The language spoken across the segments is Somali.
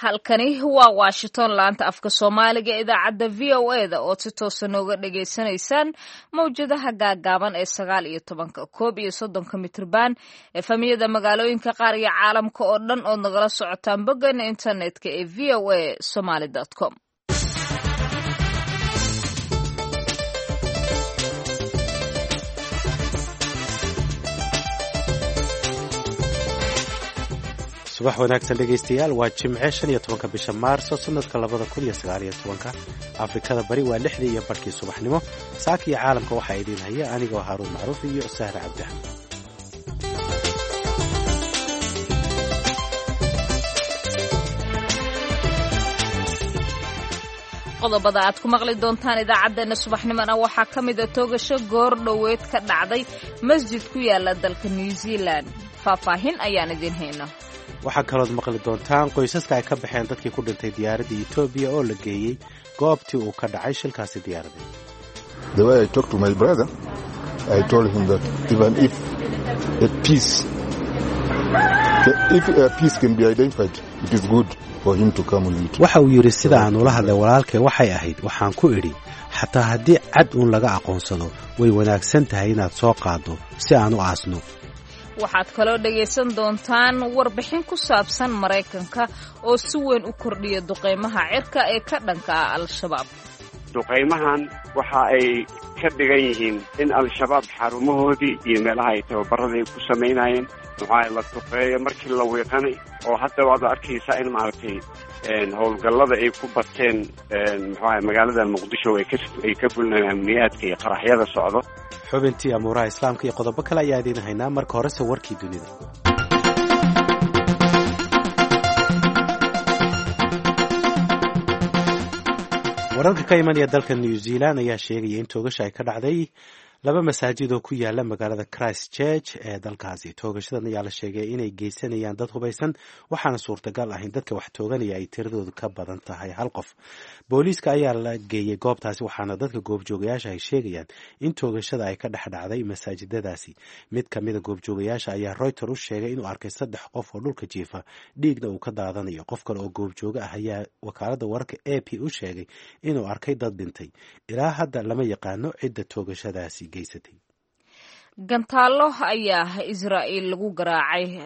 Halkani waa Washington, laanta afka Soomaaliga, idaacadda VOA da ood si toosa nooga dhagaysanaysaan mawjadaha gaagaaban ee 19, 31 mitrban, FM-yada magaalooyinka qaar iyo caalamka oo dhan ood nagala socotaan boggeena internetka ee voasomali.com. Subax wanaagsan dhegaystayaal, waa Jimce 15-ka bisha Maarso sanadka 2019-ka. Afrikada Bari waa 6:30 subaxnimo. Saaka iyo caalamka waxaa idiin haya anigoo Haaruun Macruuf iyo Sahre Cabdi. Qodobada aad ku maqli doontaan idaacaddeenna subaxnimona waxaa ka mida toogasho goor dhoweed ka dhacday masjid ku yaala dalka New Zealand. Faahfaahin ayaan idiin hayna. Waxaa kalood maqli doontaan qoysaska ay ka baxeen dadkii ku dhintay diyaaradda Etoobiya oo la geeyey goobtii uu ka dhacay shilkaasi diyaaradeed. The way I talked to my brother, I told him that even if a piece, if a piece can be identified, it is good for him to come with it. Waxa uu yidhi, sida aan ula hadlay walaalkay waxay ahayd, waxaan ku idhi, xataa haddii cad uun laga aqoonsado, way wanaagsan tahay inaad soo qaaddo si aan u aasno. Waxaad kaloo dhagaysan doontaan warbixin ku saabsan Maraykanka oo si weyn u kordhiya duqaymaha cirka ee ka dhanka ah Al-Shabaab. Duqaymahan waxa ay ka dhigan yihiin in Al-Shabaab xarumahoodii iyo meelaha ay tababarada ay ku samaynayeen maxaa la duqeeyo markii la wiiqanay, oo hadda waad arkaysaa in maaragtay howlgallada ay ku bateen muxuaha magaalada Muqdisho ay ka fulinayaan amniyaadka iyo qaraxyada socdo. Xubintii amuuraha Islaamka iyo qodobo kale ayaa idiin haynaa. Marka horese warkii dunida. Wararka ka imanaya dalka New Zealand ayaa sheegaya in toogasha ay ka dhacday laba masaajid oo ku yaala magaalada Christ Church ee dalkaasi. Toogashadan ayaa la sheegay inay geysanayaan dad hubaysan, waxaana suurtagal ah in dadka wax tooganaya ay tiradoodu ka badan tahay hal qof. Booliiska ayaa la geeyey goobtaasi, waxaana dadka goobjoogayaasha ay sheegayaan in toogashada ay ka dhex dhacday masaajidadaasi. Mid ka mida goobjoogayaasha ayaa Reuter u sheegay inuu arkay saddex qof oo dhulka jiifa, dhiigna uu ka daadanayo. Qof kale oo goobjooga ah ayaa wakaaladda wararka AP u sheegay inuu arkay dad dhintay. Ilaa hadda lama yaqaano cidda toogashadaasi. Gantaallo ayaa Israa'iil lagu garaacay.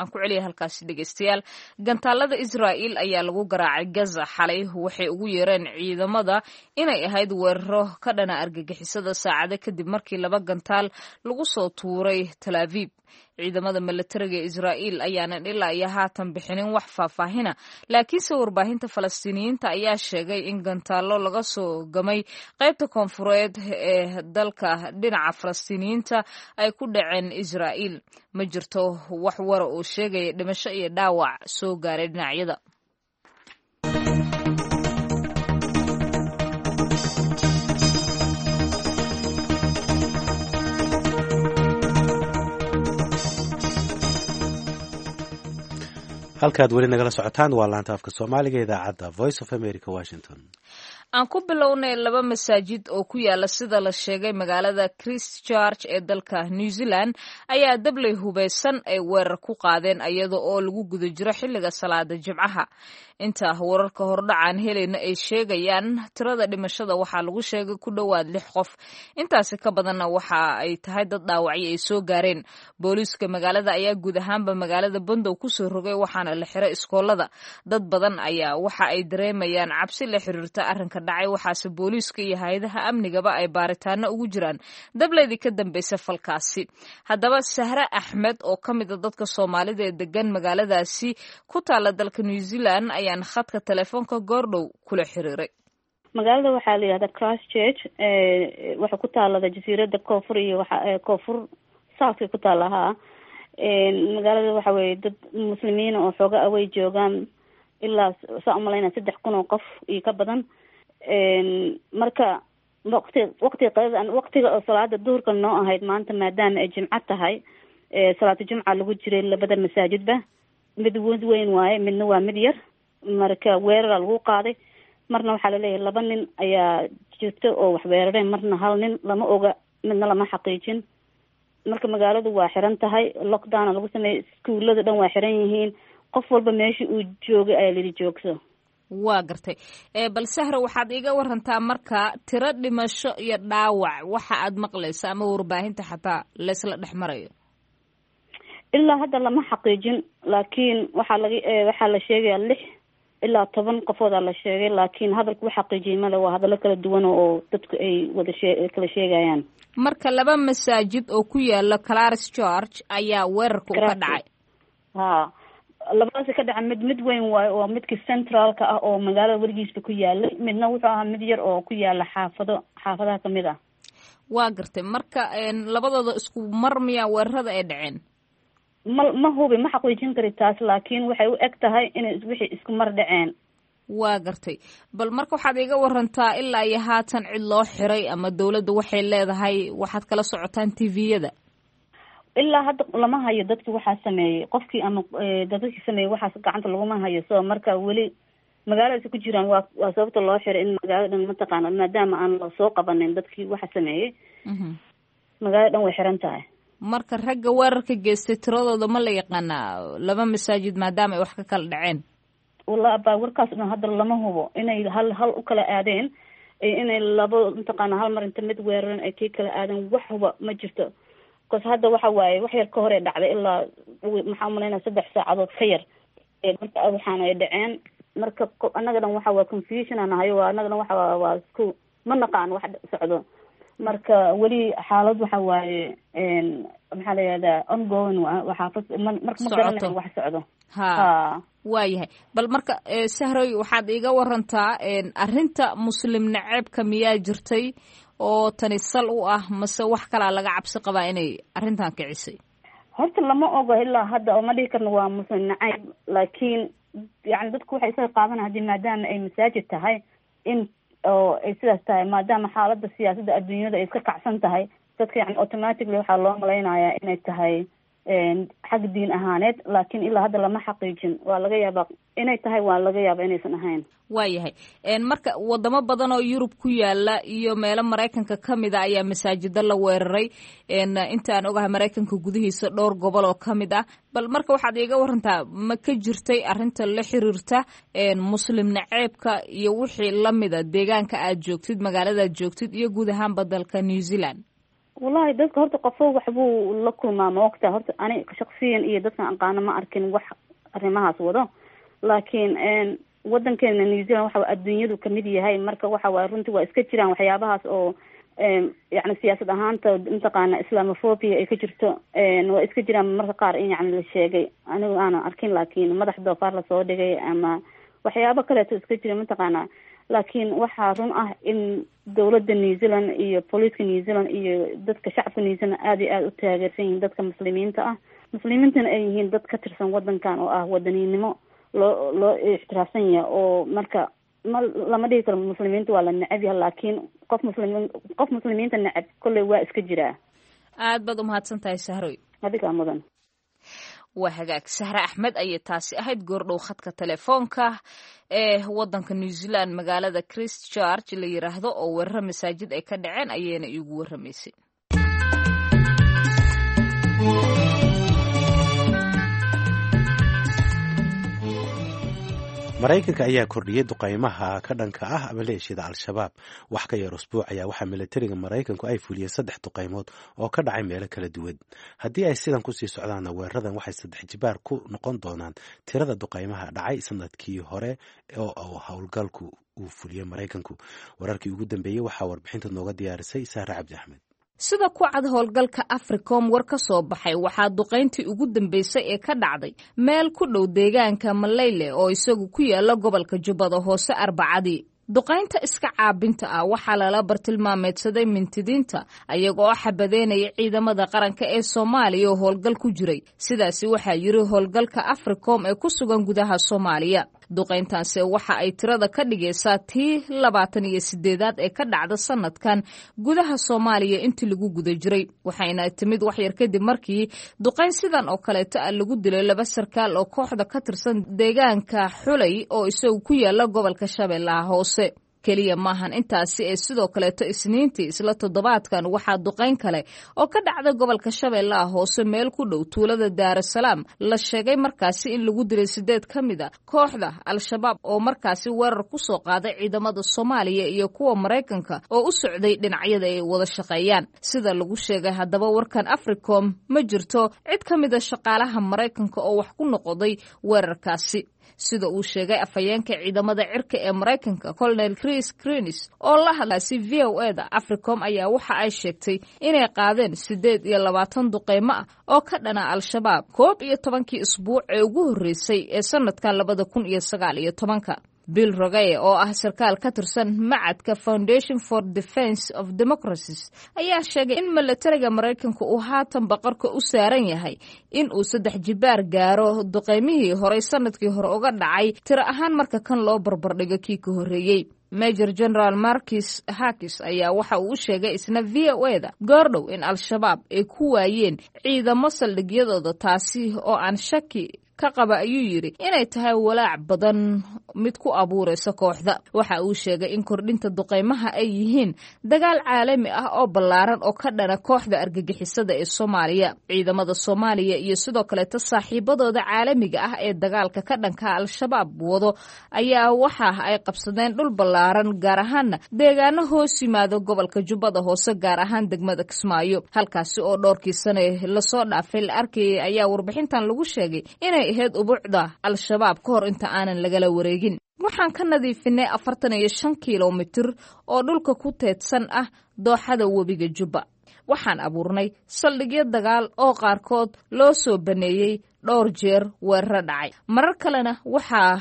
Aan ku celiya halkaasi dhegeystayaal. Gantaalada Israa'iil ayaa lagu garaacay Gaza xalay. Waxay ugu yeereen ciidamada inay ahayd weeraro ka dhana argagixisada, saacado kadib markii laba gantaal lagu soo tuuray Tal Aviib. Ciidamada milatariga ee Israa'iil ayaanan ilaa iyo haatan bixinin wax faahfaahina, laakiinse warbaahinta Falastiiniyiinta ayaa sheegay in gantaallo laga soo gamay qaybta koonfureed ee dalka dhinaca Falastiiniyiinta ay ku dhaceen Israa'iil. Ma jirto wax wara oo sheegaya dhimasho iyo dhaawac soo gaaray dhinacyada. Halkaad weli nagala socotaan waa laanta afka Soomaaliga, idaacadda Voice of America, Washington. Aan ku bilownay laba masaajid oo ku yaala, sida la sheegay, magaalada Christchurch ee dalka New Zealand ayaa dabley hubeysan ay weerar ku qaadeen iyada oo lagu guda jiro xilliga salaada Jimcaha. Inta wararka hordhacaan helayna ay sheegayaan, tirada dhimashada waxaa lagu sheegay ku dhowaad lix qof, intaasi ka badanna waxa ay tahay dad dhaawacyo ay soo gaareen. Booliiska magaalada ayaa guud ahaanba magaalada Bondow kusoo rogay, waxaana la xiray iskoolada. Dad badan ayaa waxa ay dareemayaan cabsi la xiriirta arrinka dhacay, waxaase booliiska iyo hay-adaha amnigaba ay baaritaano ugu jiraan dableydii ka dambaysa falkaasi. Haddaba Sahre Axmed oo ka mida dadka Soomaalida ee degan magaaladaasi ku taala dalka New Zealand ayaan khadka telefoonka goordhow kula xiriiray. Magaalada waxaa la yihahdaa Christchurch, waxay ku taalada jasiirada koonfur iyo waa koonfur southka ku taala. Haa, magaalada waxa weye dad muslimiina oo xooga away joogaan, ilaa saa umalayna 3000 oo qof iyo ka badan. Marka waqti waqtiga qadada, waqtiga oo salaada duhurka noo ahayd maanta, maadaama ay jimco tahay, salaatu jimca lagu jiray labada masaajidba. Mid mid weyn waaye, midna waa mid yar. Marka weerara lagu qaaday. Marna waxaa laleeyahay laba nin ayaa jirta oo wax weerareen, marna hal nin, lama oga, midna lama xaqiijin. Marka magaaladu waa xiran tahay, lockdowna lagu sameeyey, iskuulada dhan waa xiran yihiin. Qof walba meesha uu joogay ayaa layidhi joogso. Waa gartay. Bal Sahra, waxaad iiga warantaa marka tiro dhimasho iyo dhaawac waxa aad maqlaysa ama warbaahinta xataa laysla dhex marayo. Ilaa hadda lama xaqiijin, laakiin waxaa laga waxaa la sheegayaa 6 ilaa 10 qofoodaa la sheegay, laakiin hadalka u xaqiijiyay male, waa hadallo kala duwan oo dadku ay wada shee kala sheegayaan. Marka laba masaajid oo ku yaala Christchurch ayaa weerarka u ka dhacay. Ha, labadaasi ka dhaca. Mid weyn waayo oo midkii centraalka ah oo magaalada weligiisba ku yaalay, midna wuxuu ahaa mid yar oo ku yaala xaafado xaafadaha kamid ah. Waa gartay. Marka labadooda isku mar miyaa weerarada ay dhaceen? Ma hubi, ma xaqiijin kari taas, laakiin waxay u eg tahay inay wixii isku mar dhaceen. Waa gartay. Bal marka waxaad iiga warantaa ilaa iyo haatan cid loo xiray ama dawladda waxay leedahay waxaad kala socotaan TV-yada. Ilaa hadda lama hayo dadki waxaa sameeyey, qofkii ama dadkii sameeyey waxaas gacanta laguma hayo. So marka weli magaaladaasi ku jiraan, waa sababta loo xiray in magaalada dhan mataqaana, maadaama aan lasoo qabanin dadkii waxa sameeyey, magaalada dhan way xiran tahay. Marka ragga weerarka geystay tiradooda ma la yaqaanaa, laba masaajid maadaama ay wax ka kala dhaceen? Wallahi abaa, warkaas dhan hadda lama hubo inay hal hal u kala aadeen iyo inay labo mataqaana hal mar inta mid weeraran ay kii kala aadeen, wax huba ma jirto, because hadda waxa waaye wax yar ka hor ee dhacday, ilaa maxaa umalaynaya 3 saacadood ka yar marka waxaana ay dhaceen. Marka annaga dhan waxa waa confusion aan nahay, waa annaga dhan waxa waa isku ma naqaan wax socdo. Marka weli xaalad waxa waaye, maxaa la yihahdaa, ongoing waxaa marka ma garanayo wax socdo. Ha, waayahay. Bal marka Sahroy, waxaad iiga warantaa arrinta muslim naceebka miyaa jirtay oo tani sal u ah, mase wax kalaa laga cabsi qabaa inay arrintan kicisay? Horta lama ogo ilaa hadda oo ma dhihi karno waa muslim nacayb, laakiin yani dadku waxay isaga qaadanaya hadii maadaama ay masaajid tahay in oo ay sidaas tahay, maadaama xaaladda siyaasadda adduunyada ay iska kacsan tahay, dadka yani automatically waxaa loo malaynayaa inay tahay xag diin ahaaneed, laakiin ilaa hadda lama xaqiijin. Waa laga yaabaa inay tahay, waa laga yaabaa inaysan ahayn. Waayahay. Marka wadamo badan oo Yurub ku yaala iyo meelo Maraykanka kamid a ayaa masaajida la weeraray. Inta aan ogahay Maraykanka gudihiisa dhowr gobol oo kamid ah. Bal marka waxaad iiga warantaa, ma ka jirtay arrinta la xiriirta muslim naceebka iyo wixii lamida deegaanka aad joogtid, magaaladaad joogtid iyo guud ahaanba dalka New Zealand? Wallahi dadka horta qofo waxbuu la kulmaa, ma ogta. Horta ani shaksiyan iyo dadkan aqaano ma arkin wax arrimahaas wado, laakiin wadankeena New Zealand waxa adduunyadu kamid yahay. Marka waxa waay runtii waa iska jiraan waxyaabahaas oo yani siyaasad ahaanta mataqaana islamophobia ay ka jirto, waa iska jiraan marka qaar in yani la sheegay, anigu aanan arkin, laakiin madax doofaar lasoo dhigay ama waxyaabo kaleeto iska jira mataqaana. Laakiin waxaa run ah in dawladda New Zealand iyo booliiska New Zealand iyo dadka shacabka New Zealand aada iyo aada u taageersan yihiin dadka muslimiinta ah, muslimiintana ay yihiin dad ka tirsan wadankan oo ah wadaninimo loo ixtiraafsan yahay. Oo marka ma lama dhihi karo muslimiinta waa la necab yahay, laakiin qof muslimiin, qof muslimiinta necab kolley waa iska jiraa. Aad baad umahadsan tahay, Sahroy. Adigaa mudan. Waa hagaag. Sahre Axmed ayay taasi ahayd, goordhow khadka telefoonka ee wadanka New Zealand magaalada Christchurch la yiraahdo oo weeraro masaajid ay ka dhaceen ayayna iigu warramaysay. Maraykanka ayaa kordhiyey duqaymaha ka dhanka ah maleeshiyada Al-Shabaab. Wax ka yar usbuuc ayaa waxaa milatariga Maraykanku ay fuliyeen saddex duqaymood oo ka dhacay meelo kala duwan. Haddii ay sidan kusii socdaanna, weeraradan waxay saddex jibaar ku noqon doonaan tirada duqaymaha dhacay sanadkii hore oo howlgalku uu fuliyey Maraykanku. Wararkii ugu dambeeyey waxaa warbixinta nooga diyaarisay Sahre Cabdi Axmed. Sida ku cad howlgalka Africom war ka soo baxay, waxaa duqayntii ugu dambeysay ee ka dhacday meel ku dhow deegaanka Maleyle oo isagu ku yaala gobolka Jubbada Hoose Arbacadii. Duqaynta iska caabinta ah waxaa lala bartilmaameedsaday mintidiinta ayaga oo xabadeynaya ciidamada qaranka ee Soomaaliya oo howlgal ku jiray. Sidaasi waxaa yiri howlgalka Africom ee ku sugan gudaha Soomaaliya. Duqayntaanse waxa ay tirada ka dhigaysaa tii 28aad ee ka dhacda sanadkan gudaha Soomaaliya intii lagu guda jiray, waxayna timid waxyar kadib markii duqayn sidan oo kaleeto ah lagu dilay laba sarkaal oo kooxda ka tirsan deegaanka Xulay oo isagu ku yaala gobolka Shabeellaha Hoose. Keliya maahan intaasi ee sidoo kaleeto Isniintii isla toddobaadkan waxaa duqayn kale oo ka dhacda gobolka Shabeellaha Hoose meel ku dhow tuulada Daarasalaam la sheegay markaasi in lagu dilay 8 ka mid a kooxda Al-Shabaab oo markaasi weerar ku soo qaaday ciidamada Soomaaliya iyo kuwa Maraykanka oo u socday dhinacyada ay wada shaqeeyaan. Sida lagu sheegay haddaba warkan Africom, ma jirto cid ka mid a shaqaalaha Maraykanka oo wax ku noqday weerarkaasi, sida uu sheegay afhayeenka ciidamada cirka ee Maraykanka, Colonel Chris Crinis, oo la hadlaasi VOA-da. Africom ayaa waxa ay sheegtay inay qaadeen 28 duqeymo ah oo ka dhana Al-Shabaab 11-kii isbuuc ee ugu horreysay ee sanadkan 2019-ka. Bill Rogaye oo ah sarkaal ka tirsan macadka Foundation for Defense of Democracies ayaa sheegay in milatariga Maraykanka uu haatan baqarka u saaran yahay in uu 3 jibaar gaaro duqeymihii horey sanadkii hore uga dhacay tiro ahaan marka kan loo barbardhigo kii ka horreeyey. Major General Marcus Hakis ayaa waxa uu u sheegay isna VOA-da goordhow in Al-Shabaab ay ku waayeen ciidamo saldhigyadooda, taasi oo aan shaki ka qaba, ayuu yidhi, inay tahay walaac badan mid ku abuuraysa kooxda. Waxa uu sheegay in kordhinta duqeymaha ay yihiin dagaal caalami ah oo ballaaran oo ka dhana kooxda argagixisada ee Soomaaliya. Ciidamada Soomaaliya iyo sidoo kaleeto saaxiibadooda caalamiga ah ee dagaalka ka dhanka Al-Shabaab wado ayaa waxa ay qabsadeen dhul ballaaran, gaar ahaana deegaano hoos yimaado gobolka Jubbada Hoose, gaar ahaan degmada Kismaayo, halkaasi oo dhowrkii sane lasoo dhaafay la arkayay ayaa warbixintan lagu sheegay inay ahayd ubuucda Al-Shabaab ka hor inta aanan lagala wareegin. Waxaan ka nadiifinay 45 kilomitir oo dhulka ku teedsan ah dooxada webiga Jubba. Waxaan abuurnay saldhigyo dagaal oo qaarkood loo soo baneeyey dhowr jeer weeraro dhacay. Marar kalena waxaa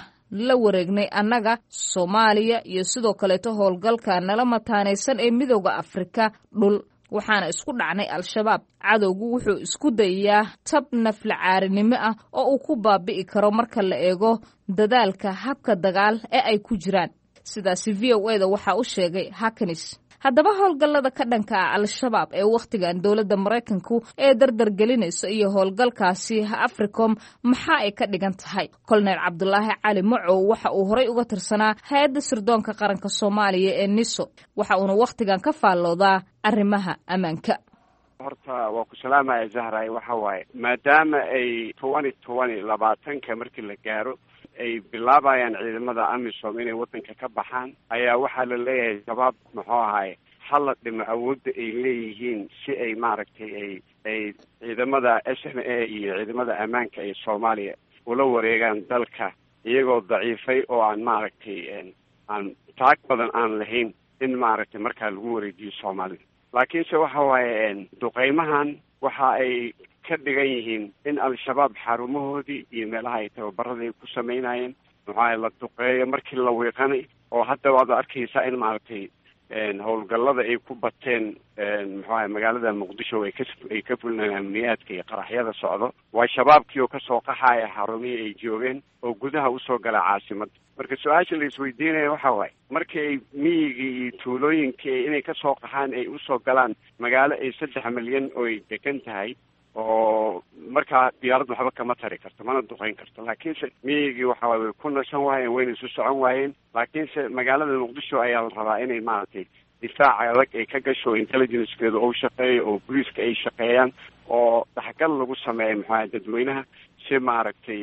la wareegnay annaga Soomaaliya iyo sidoo kaleeto howlgalka nala mataanaysan ee Midooda Afrika dhul, waxaana isku dhacnay Al-Shabaab. Cadowgu wuxuu isku dayayaa tab naflacaarinimo ah oo uu ku baabi'i karo marka la eego dadaalka habka dagaal ee ay ku jiraan. Sidaasi VOA-da waxaa u sheegay Haknis. Haddaba howlgallada ka dhanka ah Al-Shabaab ee wakhtigan dowladda Maraykanku ee dardargelinaysa iyo howlgalkaasi Africom maxaa ay ka dhigan tahay? Colonel Cabdulaahi Cali Macow waxa uu horey uga tirsanaa hay-adda sirdoonka qaranka Soomaaliya ee NISO, waxa uuna wakhtigan ka faalloodaa arrimaha ammaanka. Horta waa ku salaamaya, Zahray. Waxa waaye, maadaama ay 2020-ka markii la gaaro ay bilaabayaan ciidamada AMISOM inay waddanka ka baxaan, ayaa waxaa la leeyahay Shabaab muxuu ahaay hala dhimo awoodda ay leeyihiin si ay maaragtay ay ciidamada SNA iyo ciidamada ammaanka ee Soomaaliya ula wareegaan dalka iyagoo daciifay oo aan maaragtay aan taag badan aan lahayn in maaragtay markaa lagu wareejiyo Soomaalida. Laakiinse waxa waaye, duqeymahan waxa ay ka dhigan yihiin in Al-Shabaab xarumahoodii iyo meelaha ay tababarada ay ku sameynayeen muxuaha la duqeeyo markii la wiiqanay, oo hadda waad arkaysaa in maaragtay howlgallada ay ku bateen muxuaha magaalada Muqdisho ay ka fulinayaan amniyaadka iyo qaraxyada socdo. Waa Shabaabkii oo kasoo qaxaya xarumihii ay joogeen oo gudaha usoo gala caasimadda. Marka su-aasha la isweydiinaya waxa waaye, markii ay miyigii iyo tuulooyinkii inay kasoo qaxaan ay usoo galaan magaalo ay 3 milyan oo ay degan tahay, oo markaa diyaarad waxba kama tari karto mana duqeyn karto, laakiinse miyigii waxa waye way ku nashan waayeen, wayna isu socon waayeen. Laakiinse magaalada Muqdisho ayaa la rabaa inay maaragtay difaaca adag ay ka gasho, intelligencekeedu ou shaqeeyo oo booliiska ay shaqeeyaan oo daxgal lagu sameeyo muxuaha dadweynaha si maaragtay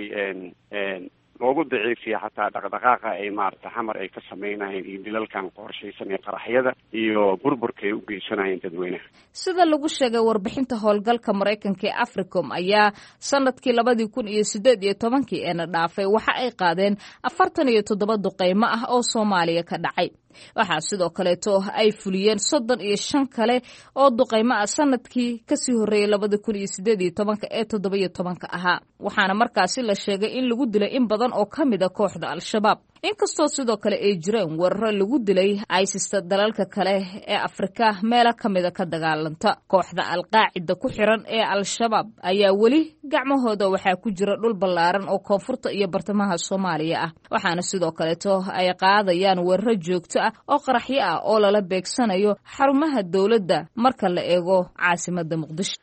loogu daciifiya xataa dhaqdhaqaaqa ay maaragtay Xamar ay ka sameynayeen iyo dilalkan qorshaysan iyo qaraxyada iyo burburka ay u geysanayeen dadweynaha. Sida lagu sheegay warbixinta howlgalka Maraykanka ee Africom ayaa sanadkii 2018-kii eena dhaafay waxa ay qaadeen 47 duqeymo ah oo Soomaaliya ka dhacay. Waxaa sidoo kaleeto ay fuliyeen 35 kale oo duqeymo ah sanadkii kasii horreeyay 2018-ka ee 17-ka ahaa, waxaana markaasi la sheegay in lagu dilay in badan oo ka mid a kooxda Al-Shabaab, inkastoo sidoo kale ay jireen weeraro lagu dilay ISIS-ta dalalka kale ee Afrika meelo ka mida ka dagaalanta. Kooxda Alqaacida ku xiran ee Al-Shabaab ayaa weli gacmahooda waxaa ku jira dhul ballaaran oo koonfurta iyo bartamaha Soomaaliya ah, waxaana sidoo kaleeto ay qaadayaan weeraro joogto ah oo qaraxyo ah oo lala beegsanayo xarumaha dowladda marka la eego caasimada Muqdisho.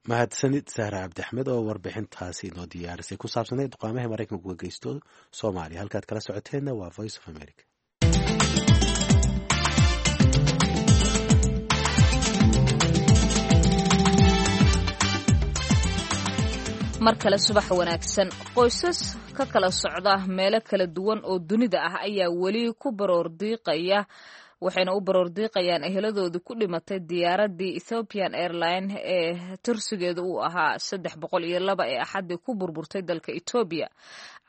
Mahadsanid Sahra Cabdixmed oo warbixintaasi inoo diyaarisay ku saabsanayd duqaamaha Maraykanku ka geysto Soomaaliya. Halkaad kala socoteenna waa Voice of America. Mar kale subax wanaagsan. Qoysas ka kala socda meelo kala duwan oo dunida ah ayaa weli ku baroor diiqaya, waxayna u baroor diiqayaan eheladoodii ku dhimatay diyaaraddii Ethiopian Airline ee tirsigeedu uu ahaa 302 ee Axaddii ku burburtay dalka Etoobiya.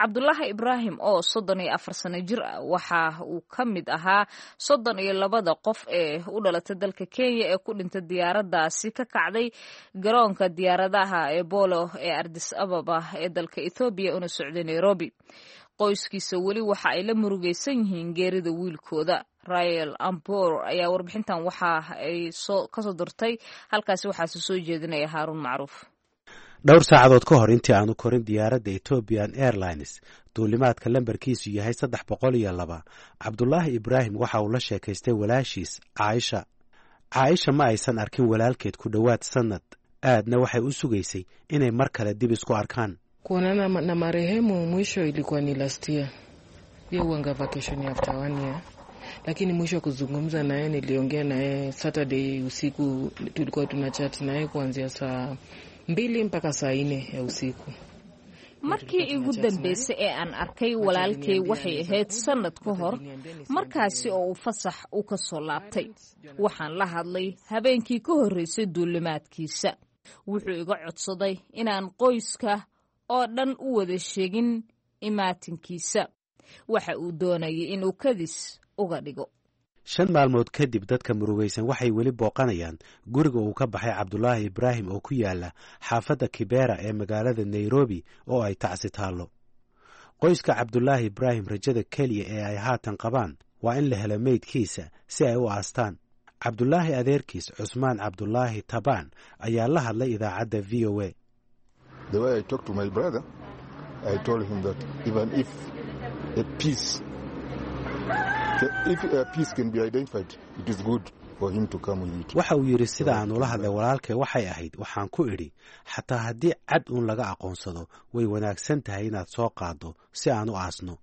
Cabdulaahi Ibraahim oo 34 sano jir ah waxa uu ka mid ahaa 32da qof ee u dhalatay dalka Kenya ee ku dhintay diyaaraddaasi ka kacday garoonka diyaaradaha ee Bolo ee Ardis Ababa ee dalka Ethoobiya una socday Nairobi. Qoyskiisa weli waxa ay la murugaysan yihiin geerida wiilkooda. Rael Ambor ayaa warbixintan waxa ay kasoo dirtay halkaasi, waxaase soo jeedinaya Haaruun Macruuf. Dhowr saacadood ka hor intii aanu korin diyaaradda Ethiopian Airlines duulimaadka lambarkiisu yahay 302, Cabdulaahi Ibraahim waxa uu la sheekaystay walaashiis Caaisha. Caaisha ma aysan arkin walaalkeed ku dhowaad sannad, aadna waxay u sugaysay inay mar kale dib isku arkaan. Kuonana na marehemu mwisho ilikuwa ni last year. Ye huanga vacation after one year. Lakini mwisho kuzungumza naye niliongea naye Saturday usiku, tulikuwa tuna chat naye kuanzia saa 2 mpaka saa 4 ya usiku. Markii igu dambeysay ee aan arkay walaalkay waxay ahayd sannad ka hor, markaasi oo uu fasax u ka soo laabtay. Waxaan la hadlay habeenkii ka horreysay duulimaadkiisa. Wuxuu iga codsaday inaan qoyska oo dhan u wada sheegin imaatinkiisa. Waxa uu doonayay inuu kadis uga dhigo. 5 maalmood kadib, dadka murugaysan waxay weli booqanayaan guriga uu ka baxay Cabdulaahi Ibraahim oo ku yaala xaafadda Kibera ee magaalada Nairobi oo ay tacsi taallo. Qoyska Cabdulaahi Ibraahim rajada keliya ee ay haatan qabaan waa in la helo meydkiisa si ay u aastaan. Cabdulaahi adeerkiis, Cusmaan Cabdulaahi Tabaan, ayaa la hadlay idaacadda VOA. The way I talked to my brother, I told him that even if a piece can be identified, it is good for him to come with it. Waxa uu yidhi, sida aan ula hadlay walaalkay waxay ahayd, waxaan ku idhi, xataa haddii cad uun laga aqoonsado, way wanaagsan tahay inaad soo qaaddo si aan u aasno.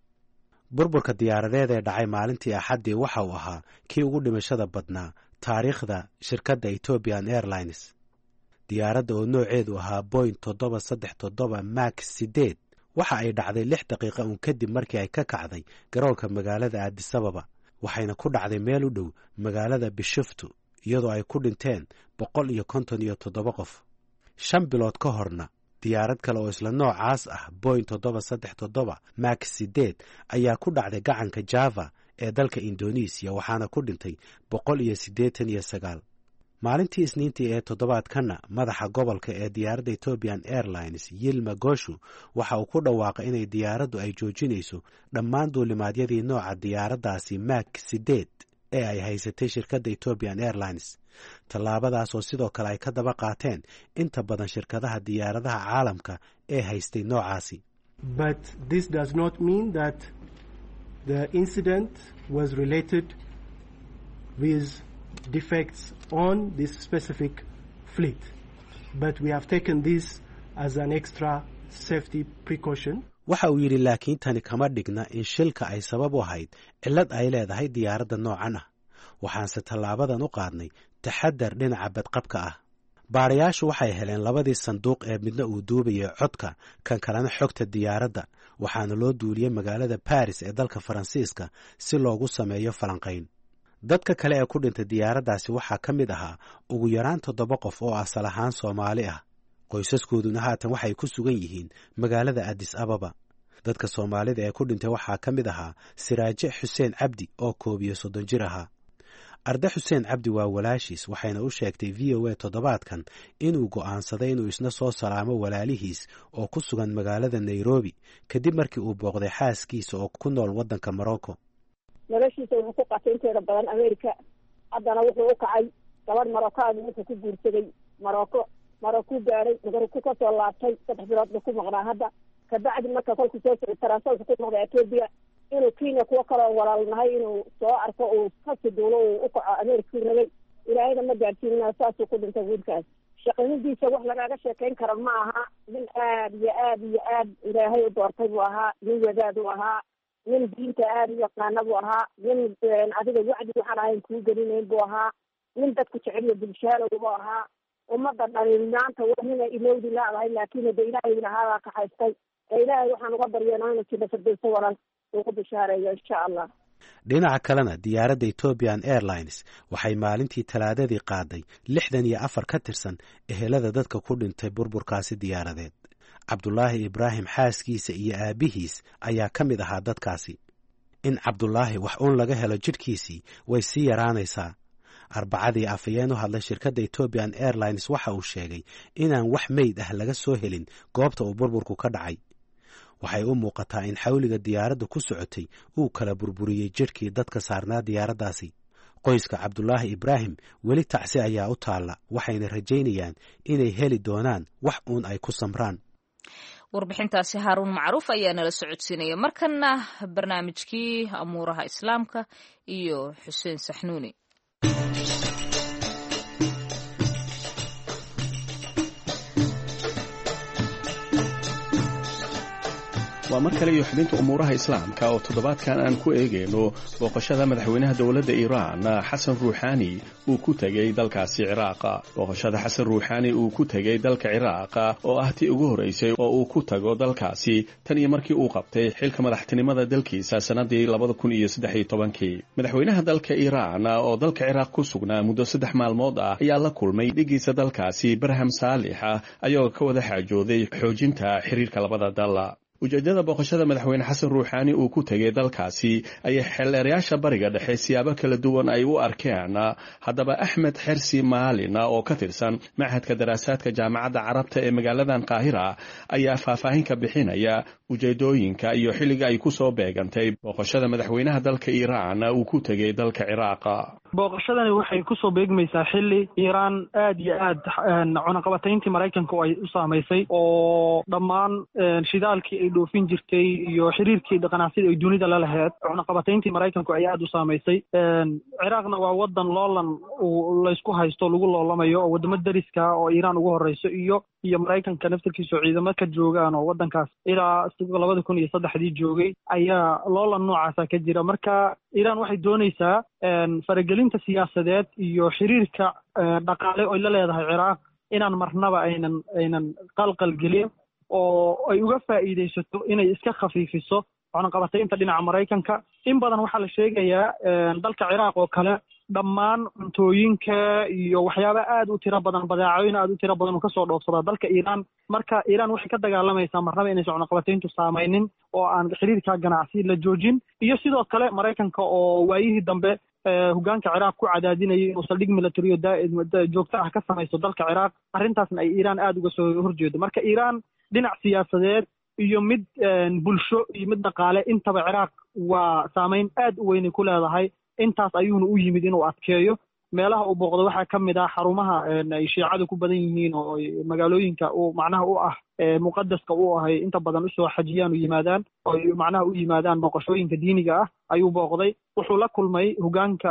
Burburka diyaaradeed ee dhacay maalintii Axaddii waxa uu ahaa kii ugu dhimashada badnaa taariikhda shirkadda Ethiopian Airlines. Diyaaradda oo nooceedu ahaa Boeing 737 Max 8 waxa ay dhacday 6 daqiiqa uun kadib markii ay ka kacday garoonka magaalada Addis Ababa, waxayna ku dhacday meel u dhow magaalada Bishoftu, iyadoo ay ku dhinteen 157 qof. 5 bilood ka horna, diyaarad kale oo isla noocaas ah, Boeing 737 Max 8, ayaa ku dhacday gacanka Java ee dalka Indonesiya, waxaana ku dhintay 189. Maalintii Isniintii ee toddobaadkanna, madaxa gobolka ee diyaaradda Ethiopian Airlines, Yilma Goshu, waxa uu ku dhawaaqay inay diyaaraddu ay joojinayso dhammaan duulimaadyadii nooca diyaaraddaasi Max 8 ee ay haysatay shirkadda Ethiopian Airlines, tallaabadaas oo sidoo kale ay ka daba qaateen inta badan shirkadaha diyaaradaha caalamka ee haystay noocaasi. But this does not mean that the incident was related with defects on this specific fleet. But we have taken this as an extra safety precaution. Waxa uu yidhi, laakiin tani kama dhigna in shilka ay sabab u ahayd cillad ay leedahay diyaaradda noocan ah, waxaanse tallaabadan u qaadnay taxadar dhinaca badqabka ah. Baarayaashu waxay heleen labadii sanduuq ee midna uu duubayay codka, kan kalena xogta diyaaradda, waxaana loo duuliyey magaalada Baris ee dalka Faransiiska si loogu sameeyo falanqayn. Dadka kale ee ku dhintay diyaaraddaasi waxaa ka mid ahaa ugu yaraan toddoba qof oo asal ahaan Soomaali ah, qoysaskooduna haatan waxay ku sugan yihiin magaalada Addis Ababa. Dadka Soomaalida ee ku dhintay waxaa ka mid ahaa Siraaje Xuseen Cabdi oo 31 jir ahaa. Arde Xuseen Cabdi waa walaashiis, waxayna u sheegtay VOA toddobaadkan inuu go'aansaday inuu isna soo salaamo walaalihiis oo ku sugan magaalada Nairobi kadib markii uu booqday xaaskiisa oo ku nool waddanka Morocco. Noloshiisa wuxuu ku qatay inteeda badan America. Haddana wuxuu u kacay gabadh Maroccoagu, wuxuu ku guursaday Morocco. Morocco gaadhay, Morocco kasoo laabtay, 3 bilood buu ku maqnaa hadda. Kabacdi marka kolku soo socday taransa wuxuu ku noqday Ethiopia, inuu Kenya kuwo kaloo walaalnahay inuu soo arko, uu kasi duulo, uu u kaco America u rabay. Ilaahayna ma gaadsiinina, saasuu ku dhintay wiilkaas. Shaqadidiisa wax lagaaga sheekayn karo ma aha. Nin aad iyo aad iyo aad Ilaahay u doortay buu ahaa, nin wadaad u ahaa, nin diinta aada u yaqaana buu ahaa, nin adiga wacdi waxaan ahayn kuu gelinayn buu ahaa, nin dadku jeceliyo bulshaalow buu ahaa. Ummadda dhani maanta waa nina ilowdi laadahay, laakiin de ilaahay lahaabaa kaxaystay. Ee ilaahay waxaan uga baryeena inuu jina firdowso walal uu ku bishaareeyo insha Allah. Dhinaca kalena, diyaaradda Ethiopian Airlines waxay maalintii Talaadadii qaaday 64 ka tirsan ehelada dadka ku dhintay burburkaasi diyaaradeed. Cabdulaahi Ibraahim xaaskiisa iyo aabbihiis ayaa ka mid ahaa dadkaasi. In Cabdulaahi wax uun laga helo jidhkiisii way sii yaraanaysaa. Arbacadii, afhayeen u hadlay shirkadda Ethiopian Airlines waxa uu sheegay inaan wax meyd ah laga soo helin goobta uu burburku ka dhacay. Waxay u muuqataa in xawliga diyaaradda ku socotay uu kala burburiyey jidhkii dadka saarnaa diyaaraddaasi. Qoyska Cabdulaahi Ibraahim weli tacsi ayaa u taalla, waxayna rajaynayaan inay heli doonaan wax uun ay ku samraan. Warbixintaasi Haaruun Macruuf ayaa nala socodsiinaya. Markana barnaamijkii amuuraha Islaamka iyo Xuseen Saxnuuni. Waa mar kale iyo xubinta umuuraha Islaamka oo toddobaadkan aan ku eegayno booqashada madaxweynaha dowladda Iiraan Xasan Ruuxaani uu ku tegey dalkaasi Ciraaqa. Booqashada Xasan Ruuxaani uu ku tegey dalka Ciraaqa oo ah tii ugu horraysay oo uu ku tago dalkaasi tan iyo markii uu qabtay xilka madaxtinimada dalkiisa sannadii 2013-kii. Madaxweynaha dalka Iiraan oo dalka Ciraaq ku sugnaa muddo 3 maalmood ah ayaa la kulmay dhigiisa dalkaasi Barham Saalixa, ayagoo ka wada xaajooday xoojinta xiriirka labada dal. Ujeeddada booqashada madaxweyne Xasan Ruuxaani uu ku tegay dalkaasi ayay xeeldheerayaasha Bariga Dhexe siyaabo kala duwan ay u arkeen. Haddaba, Axmed Xersi Maalin oo ka tirsan Machadka Daraasaadka Jaamacadda Carabta ee magaaladan Qaahira ayaa faahfaahin ka bixinaya ujeedooyinka iyo xilliga ay ku soo beegantay booqashada madaxweynaha dalka Iiraan uu ku tegay dalka Ciraaqa. Booqashadani waxay kusoo beegmaysaa xilli Iiraan aad iyo aad cunaqabatayntii Maraykanka ay u saamaysay, oo dhammaan shidaalkii ay dhoofin jirtay iyo xiriirkii ganacsiga ay dunida la laheyd cunaqabatayntii Maraykanku ay aada u saamaysay. Ciraaqna waa wadan loolan uu laysku haysto, lagu loolamayo, oo wadamo dariska oo Iiraan ugu horeyso iyo Maraykanka naftarkiisa oo ciidamo ka joogaan oo wadankaas ilaa 2003-dii joogay ayaa loolan noocaasa ka jira. Marka Iiraan waxay doonaysaa faragelinta siyaasadeed iyo xiriirka dhaqaale oy la leedahay Ciraaq inaan marnaba aynan qalqal gelin, oo ay uga faa'iidaysato inay iska khafiifiso cunaqabataynta dhinaca Maraykanka. In badan waxaa la sheegayaa dalka Ciraaq oo kale dhammaan cuntooyinka iyo waxyaaba aad u tiro badan, badeecooyin aad u tiro badan uu kasoo dhoofsadaa dalka Iiraan. Marka Iiraan waxay ka dagaalamaysaa marnaba inaysan cunaqabatayntu saamaynin oo aan xiriirka ganacsi la joojin, iyo sidoo kale Maraykanka oo waayihii dambe hogaanka Ciraaq ku cadaadinayay inuu saldhig military joogto ah ka samaysto dalka Ciraaq, arrintaasna ay Iiraan aada uga soo horjeedo. Marka Iiraan dhinac siyaasadeed iyo mid bulsho iyo mid dhaqaale intaba Ciraaq waa saameyn aad u weynay ku leedahay. Intaas ayuuna u yimid inuu adkeeyo. Meelaha uu booqdo waxaa ka mid ah xarumaha ay Shiicadu ku badan yihiin oo magaalooyinka uu macnaha u ah muqadaska u ahay, inta badan usoo xajiyaan, u yimaadaan oo macnaha u yimaadaan booqashooyinka diiniga ah ayuu booqday. Wuxuu la kulmay hogaanka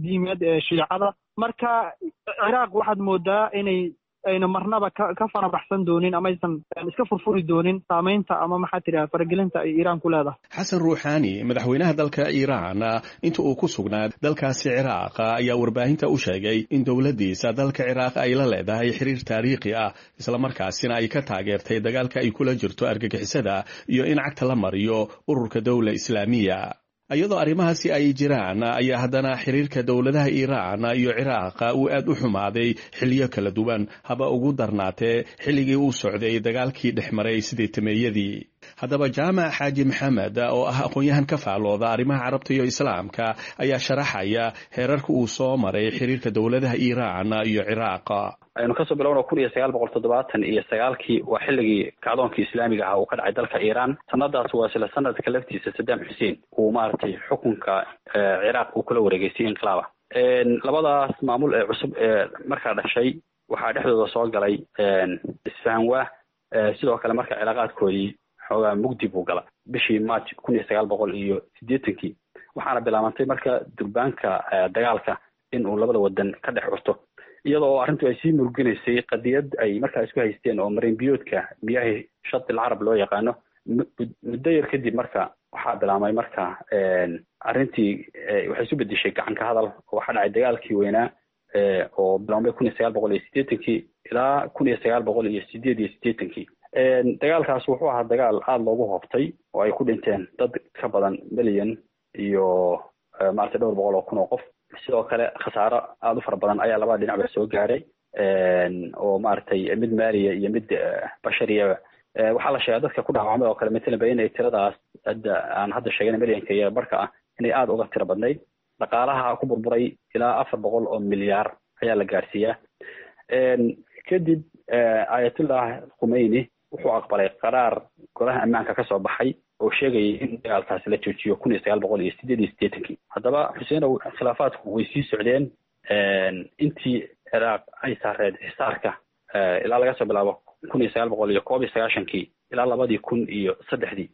diimeed ee Shiicada. Marka Ciraaq waxaad moodaa inay ayna marnaba ka farabaxsan doonin ama aysan iska furfuri doonin saameynta ama maxaa tidhaha faragelinta ay Iiraan ku leedahay. Xasan Ruuxaani, madaxweynaha dalka Iiraan, inta uu ku sugnaa dalkaasi Ciraaq ayaa warbaahinta u sheegay in dowladdiisa dalka Ciraaq ay la leedahay xiriir taariikhi ah, islamarkaasina ay ka taageertay dagaalka ay kula jirto argagixisada iyo in cagta la mariyo ururka Dowla Islaamiya. Iyadoo arrimahaasi ay jiraan ayaa haddana xiriirka dowladaha Iiraan iyo Ciraaq uu aad u xumaaday xilliyo kala duwan, haba ugu darnaatee xilligii uu socday dagaalkii dhex maray sideetameeyadii. Haddaba, Jaamac Xaaji Maxamed oo ah aqoon-yahan ka faalooda arrimaha Carabta iyo Islaamka ayaa sharaxaya heerarka uu soo maray xiriirka dowladaha Iiraan iyo Ciraaq. Aynu kasoo bilowno 1979-kii, waa xilligii kacdoonkii islaamiga ahaa uu ka dhacay dalka Iiraan. Sanadaas waa isla sanadka laftiisa Saddam Xuseen uu maaragtay xukunka Ciraaq uu kula wareegay si inqilaaba. Labadaas maamul ee cusub ee markaa dhashay waxaa dhexdooda soo galay isfahanwaa. Sidoo kale marka cilaaqaadkoodii xoogaa mugdi buu gala bishii March 1980-kii, waxaana bilaabantay marka durbaanka dagaalka in uu labada wadan ka dhex curto, iyadoo oo arrintu ay sii murginaysay qadiyad ay markaa isku haysteen oo marin biyoodka miyaahi Shati Alcarab loo yaqaano. Muddo yar kadib marka waxaa bilaabmay marka arrintii waxay isu bedeshay gacanka hadal oo waxaa dhacay dagaalkii weynaa. oo bilaabmay 1980kii ilaa 1988kii. Dagaalkaas wuxuu ahaa dagaal aada loogu hooftay oo ay ku dhinteen dad ka badan milyan iyo maaragtay dhowr boqol oo kun oo qof. Sidoo kale khasaaro aada u fara badan ayaa labada dhinacba soo gaaray, oo maaragtay mid maaliya iyo mid bashariyaba. Waxaa la sheegaa dadka ku dhaawacmay oo kale matalan ba inay tiradaas hadda aan hadda sheegana milyanka iyo barka ah inay aada uga tiro badnayd. Dhaqaalaha ku burburay ilaa 400 oo milyaar ayaa la gaarsiiyaa. Kadib Ayatullah Khumeyni wuxuu aqbalay qaraar golaha ammaanka kasoo baxay oo sheegayay in dagaalkaasi la joojiyo 1988kii. Haddaba Xuseenow, khilaafaadku way sii socdeen intii Ciraaq ay saareed xisaarka ilaa laga soo bilaabo 1991kii ilaa 2003dii.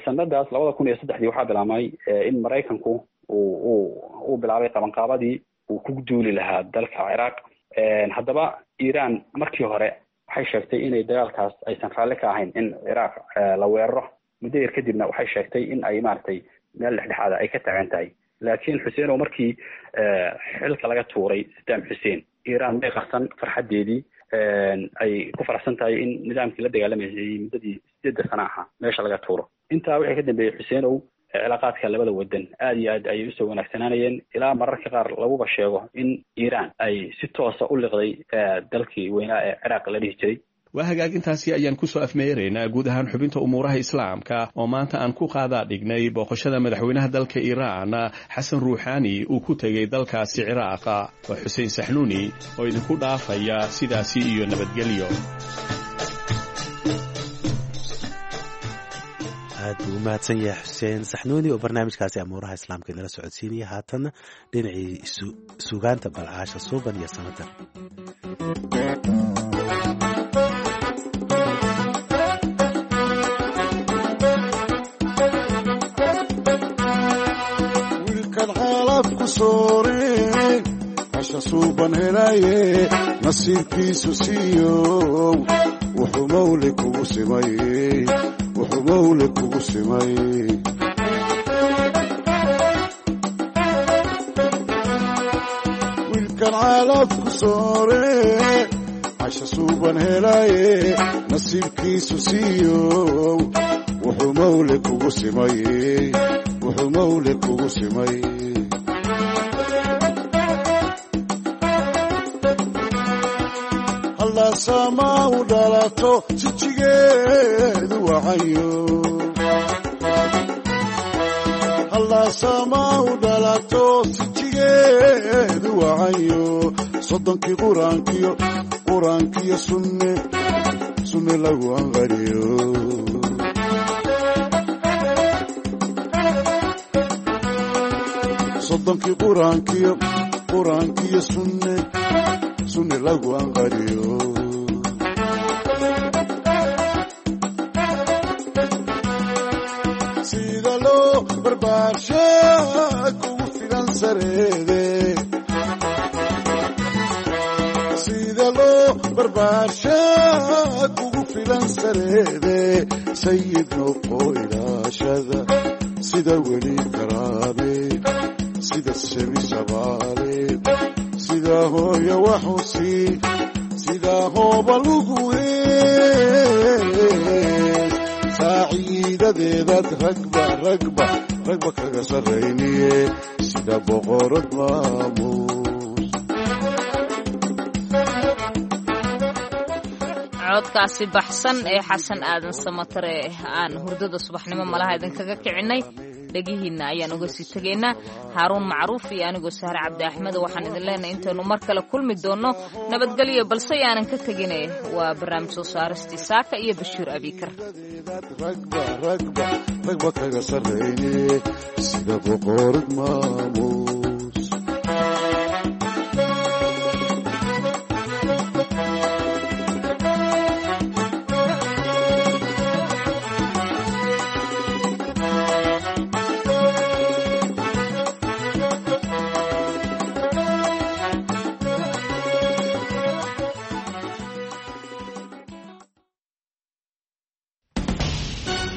Sanadaas 2003dii waxaa bilaabmay in Maraykanku uu bilaabay qabanqaabadii uu ku duuli lahaa dalka Ciraaq. Haddaba Iiraan markii hore waxay sheegtay inay dagaalkaas aysan raalli ka ahayn in Ciraaq la weeraro. Muddo yar kadibna waxay sheegtay in ay maaragtay meel dhexdhexaada ay ka taagan tahay. Laakiin Xuseenow, markii xilka laga tuuray Saddam Xuseen, Iiraan may qarsan farxaddeedii ay ku faraxsan tahay in nidaamkii la dagaalamayay muddadii 8 sano ahaa meesha laga tuuro. Intaa wixii ka dambeeyey Xuseenow, cilaaqaadka labada wadan aada iyo aad ayay usoo wanaagsanaanayeen, ilaa mararka qaar laguba sheego in Iiraan ay si toosa u liqday dalkii weynaa ee Ciraaq la dhihi jiray. Waa hagaagintaasi ayaan kusoo afmeeraynaa guud ahaan xubinta umuuraha islaamka oo maanta aan ku qaadaa dhignay booqashada madaxweynaha dalka Iiraan Xasan Ruuxaani uu ku tegey dalkaasi Ciraaqa. Waa Xuseen Saxnuuni oo idinku dhaafaya sidaasi iyo nabadgelyo. Aad buu u mahadsan yahay Xuseen Saxnuuni oo barnaamijkaasi amuuraha islaamka inala socodsiinaya. Haatanna dhinacii sugaanta balcaasha suuban iyo samatar. Wiilkan xaalad ku sooreen casha suuban helaye, nasiibkiisu siiyow wuxuu mawle kugu simay, wuxuu mawle kugu simay. Wiilkan caalaf ku soore casha suuban helaye, nasiibkiisu siiyow wuxuu mawle kugu simay, wuxuu mawle kugu simay. Sama u dhalato sijigeedu wacayo, hallaasama u dhalato sijigeedu wacayo, soddonkii quraankiyo quraankiyo sunne sunne lagu anqariyo. Soddonkii quraankiyo quraankiyo sunne sunne lagu anqariyo. Sida loo barbaarshaa kugu filan sareede, sida loo barbaarshaa kugu filan sareede, sayid noqo ilaashada sida weli karaabe, sida sebi sabaale, sida hooyo waxusi, sida hooba lugu hees, saaciidadeedaad ragba ragba ragba kaga sarrayniye, sida boqorad maamuus. Codkaasi baxsan ee Xasan Aadan Samatare aan hurdada subaxnimo malaha idinkaga kicinay, dhegihiinna ayaan uga sii tegaynaa. Haaruun Macruuf iyo anigoo Sahre Cabdi Axmed waxaan idin leenahay intaynu mar kale kulmi doonno nabadgelyo, balse yaanan ka tegine waa barnaamij soo saaristii Saaka iyo Bashiir Abiikar. Ragba ragba ragba kaga sarrayniye, sida boqorad maamuus.